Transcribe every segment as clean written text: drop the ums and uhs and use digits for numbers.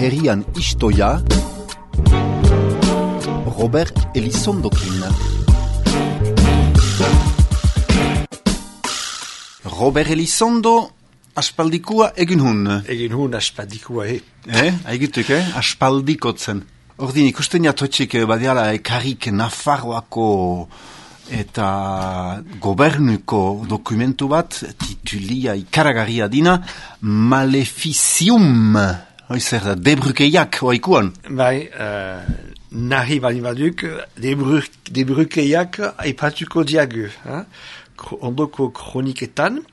herrian istoia Robert Elizondokin. Robert Elizondo aspaldikua egin hun. Egin hun aspaldikua, Aigituk, aspaldikotzen. Ordin ikusten jatotxik badiala ekarik Nafarroako eta gobernuko dokumentu bat, titulia ikaragarria dina, Maleficium. Zer da, debrukeiak oaikuan? Bai, nahi bali baduk, debrukeiak aipatuko diagu. Ondoko kroniketan,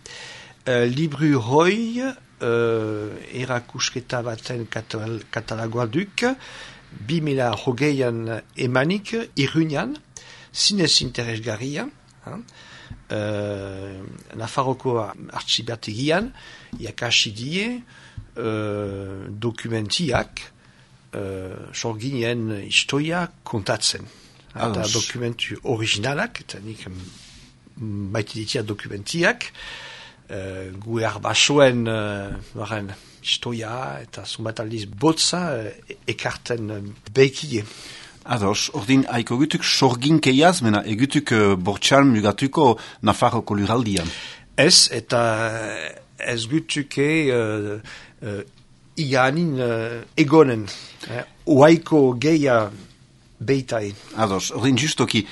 libru hoi, erakusketa baten katalagoa duk, 2020an emanik, Iruñan, zinez interesgarria, Nafarroko artxibertegian, jakasi die, dokumentiak, sorginen historia kontatzen. Eta dokumentu originalak, eta nik baitiditia dokumentiak, gu erbasoen historia eta zumbat aldiz botza ekarten beikide. Ados, ordin haiko gutuk sorginkeiaz, mena egutuk bortxan mugatuko Nafarroko luraldian. Ez, eta ez gutuke iganin egonen. Oaiko geia beitai. Ados, ordin justoki,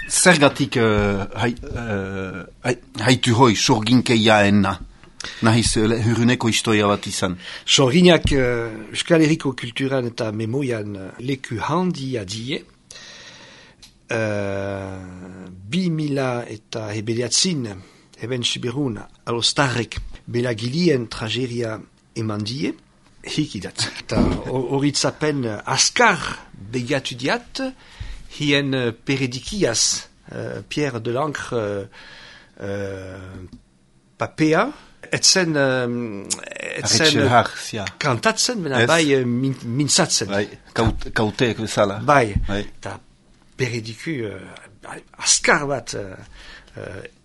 zergatik haitu hoi sorginkeiaena? Nahiz huruneko historia bat izan. Sorginak Euskal Herriko kulturan eta memoian leku handia die. 2000 eta hebediatzin, heben Siberun, alostarrek belagilien trageria eman die. Hikidat. Eta horitzapen askar begatu diat, hien peredikiaz, Pierre de l'Ancre papea, etzen kantatzen, mena bai mintzatzen. Bai, kauteek bezala. Bai, eta perediku askar bat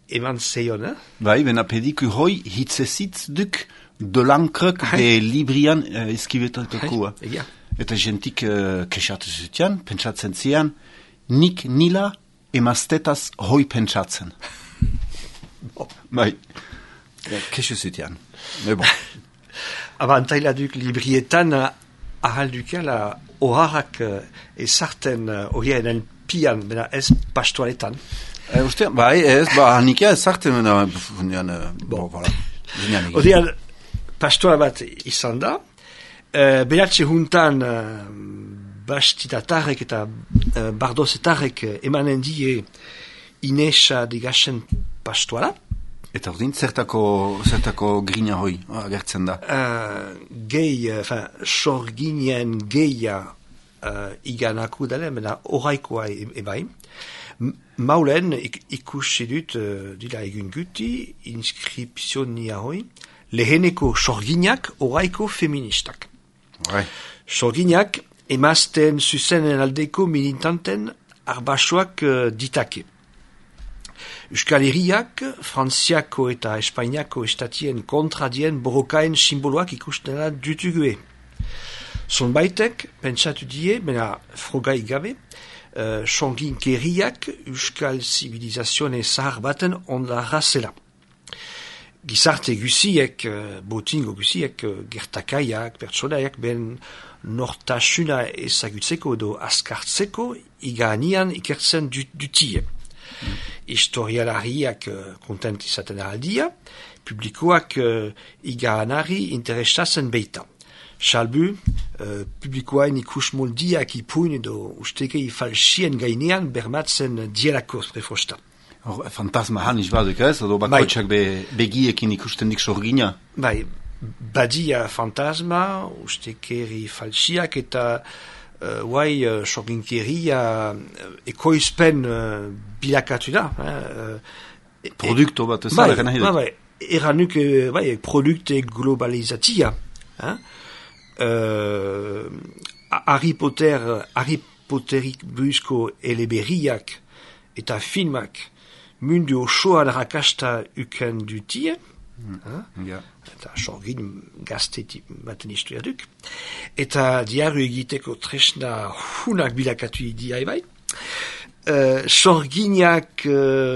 eman zeion. Bai, bena perediku hoi hitzezitz duk de l'Ancrek de librian eskibetakoa. Eta jentik kesatu zutian, pentsatzen zian, nik nila emaztetaz hoi pentsatzen. Bai. Kesu zutian. Bon. Abantaila duk librietan ahaldukela oharrak ezarten horien pian, bena ez pastoaletan. Bai, ez, hanikia ezarten, voilà. Odean, pastoa bat izan da, behatze juntan bastitatarrek eta bardozetarrek emanen die Inesa degasen pastoala. Eta ordin, zertako grina hoi agertzen da? Sorginen geia iganako dala, mena oraikoa ebai. Maulen ikusi dut, dila egun guti, inskripzionia hoi, leheneko sorginak oraiko feministak. Sorginak emazten zuzenen aldeko militanten arbasoak ditake. Euskal Herriak, Frantziako eta Espainiako estatien kontradien borrokaen simboloak ikustena dutugue. Zonbaitek, pentsatu die, mena frogai gabe, sorginkeriak Euskal zibilizazioen zahar baten ondarra zela. Gizarte guziek, botingo guziek, gertakaiak, pertsonaiak, ben nortasuna ezagutzeko edo askartzeko iganian ikertzen dutie. Historialariak kontent izaten aldia, publikoak iganari interesatzen beita. Salbu, publikoain ikus moldiak ipuin edo ustekei falsien gainean bermatzen dielako prefosta. Fantasma haniz baduk ez, edo bakoitzak begiekin ikusten dik sorgina? Bai, badia fantasma, ustekeri falsiak eta sorginkeria ekoizpen bilakatu da. Produkto bat ez zara gana hidek? Bai, eranuk produkte globalizatia. Harry Potterik buruzko eleberriak eta filmak mundu osoan rakasta uken dutie, Ja. Eta sorgin gazteti baten historia duk. Eta diario egiteko tresna hunak bilakatu idia bai. Sorginak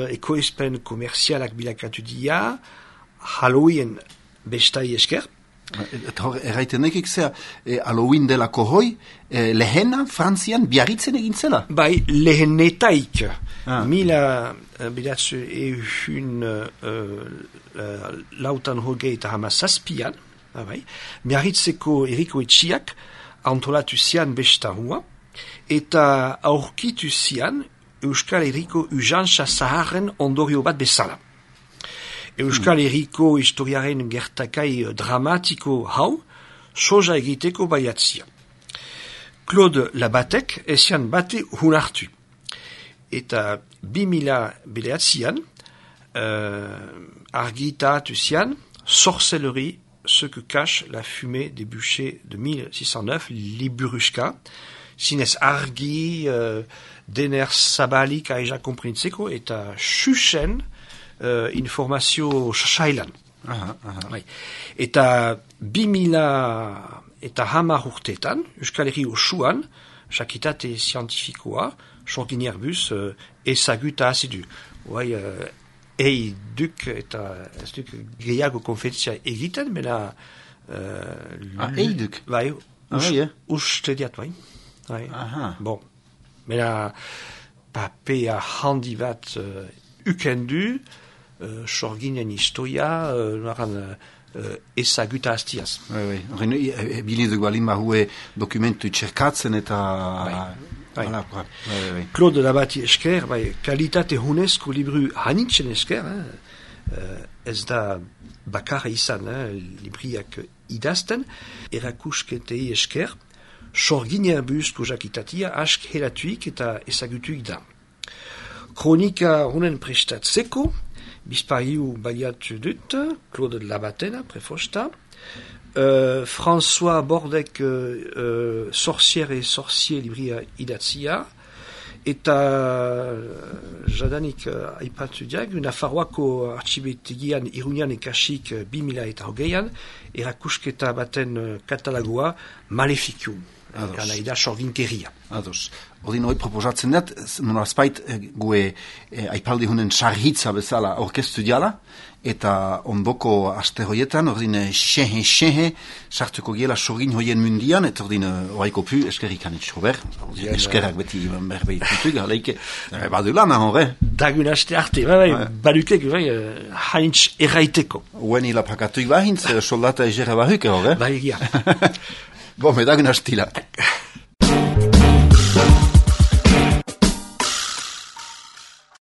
ekoizpen komerzialak bilakatu dia, Halloween bestai esker. Eta hor, erraiten nekik zea, Halloween delako hoi, lehena, Frantzian, Biarritzen egin zela? Bai, lehenetaik. Mila bidatzu ehun lautan hogei eta hamazazpian, bai, Biarritzeko eriko etxiak antolatu zian besta hua, eta aurkitu zian Euskal Herriko ujantza zaharren ondorio bat bezala. Euskal Herriko historiaren gertakai dramatiko hau, soja egiteko baiatzia. Claude Labatek ezian bate hunartu. Eta 2000 argitatu zian Sorcellerie, ce que cache la fumée des bûchers de 1609, Liburushka, zinez argi, dener zabalik aija komprintzeko, eta xuxen informazio sailan. Bai. Eta 2010 urteetan, Euskal Herri osoan, jakitate zientifikoa, sorgin erbuz, ezaguta azidu. Bai, duk eta ez duk gehiago konfetzia egiten, mena... Duk? Bai, uste diat, bai. Bon, mena papea handi bat ukendu, sorginen historia, ezaguta hastiaz. Biliduk balin bahue dokumentu txerkatzen eta... Claude Labati esker, kalitate hunezko libru hanitzen esker, ez da bakarra izan, libriak idazten, erakusketei esker, sorgin erbuzko jakitatia ask helatuik eta ezagutuik da. Kronika hunen prestatzeko, bizpariu baliatu dut, Claude Labatena prefosta, François Bordek sorcière et sorcier libria idatzia, eta jadanik aipatu diag, Nafarroako artxibetegian Iruñan ekasik 2008an, erakusketa baten katalagoa Maleficium. Gana ida sorginkeria. Ados. Ordin hori proposatzen dut, nolazpait gue aipaldi hunen sarhitza bezala orkestu diala, eta ondoko aste hoietan, ordin xehe, sartuko giela sorgin hoien mundian, eta ordin oaiko pu eskerrikan itxober, eskerrak beti berbeit dutuk, galeike, badu lan, horre? Dagun aste arte, badukek, haintz erraiteko. Uen hilapakatuik bahintz, soldata egera bahuke, horre? Bai, egia. Bon, dagun astila.